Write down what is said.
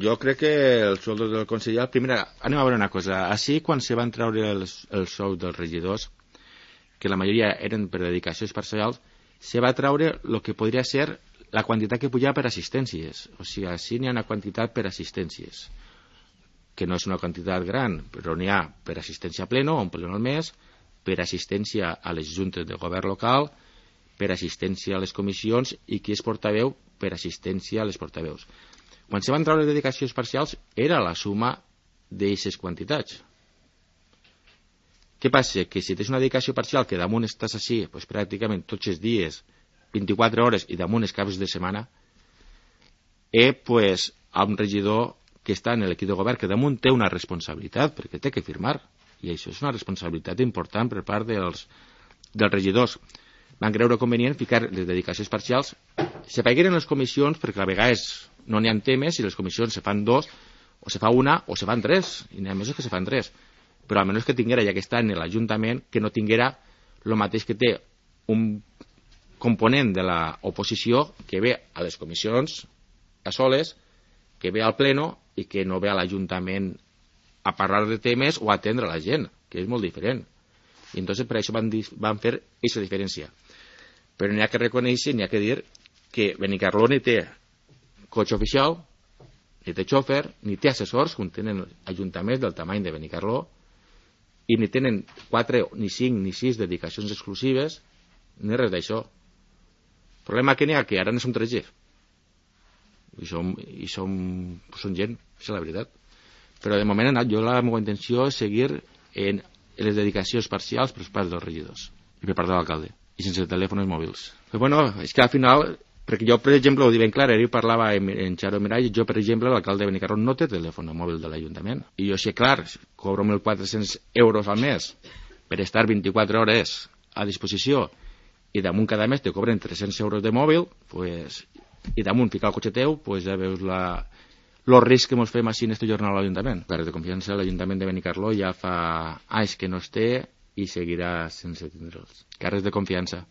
Jo crec que el sueldo del conseller... Primer, anem a veure una cosa. Així, quan se van treure els sous dels regidors, que la majoria eren per dedicacions parcials, se va treure el que podria ser la quantitat que pujava per assistències. O sigui, així n'hi ha una quantitat per assistències, que no és una quantitat gran, però n'hi ha per assistència a pleno, un pleno al mes, per assistència a les juntes de govern local, per assistència a les comissions i qui és portaveu per assistència a les portaveus. Quan se van treure les dedicacions parcials era la suma d'aquestes quantitats. Què passa? Que si tens una dedicació parcial que damunt estàs així pues, pràcticament tots els dies, 24 hores i damunt els caps de setmana, pues, a un regidor que està en l'equip de govern que damunt té una responsabilitat perquè té que firmar, i això és una responsabilitat important per part dels regidors. Van creure convenient ficar les dedicacions parcials, se pagueren les comissions perquè a vegades no n'hi ha temes i les comissions se fan dos, o se fa una o se fan tres, i n'hi ha mesos que se fan tres, però almenys que tinguera, ja que està en l'Ajuntament, que no tinguera el mateix que té un component de l'oposició que ve a les comissions a soles, que ve al pleno i que no ve a l'Ajuntament a parlar de temes o a atendre la gent, que és molt diferent. I entonces per això van fer aquesta diferència. Però n'hi ha que reconèixer, n'hi ha que dir que Benicarló ni té cotxe oficial, ni té xòfer, ni té assessors, com tenen ajuntaments del tamany de Benicarló, i ni tenen 4, ni 5, ni 6 dedicacions exclusives, ni res d'això. El problema que n'hi ha que ara no som 3G. I som gent, és la veritat. Però de moment jo la meva intenció és seguir en les dedicacions parcials per part dels regidors i per part de l'alcalde, i sense telèfons mòbils. Però bueno, és que al final, perquè jo, per exemple, ho dic ben clar, ahir parlava en Xaro Mirall, jo, per exemple, l'alcalde de Benicarló no té telèfon mòbil de l'Ajuntament. I jo sé, clar, cobro 1.400 euros al mes per estar 24 hores a disposició i damunt cada mes te cobren 300 euros de mòbil, pues, i damunt ficar el cotxe teu, pues ja veus el risc que ens fem així en este jornal a l'Ajuntament. Carres de confiança, l'Ajuntament de Benicarló ja fa anys que no es té i seguirà sense tindre'ls. Carres de confiança.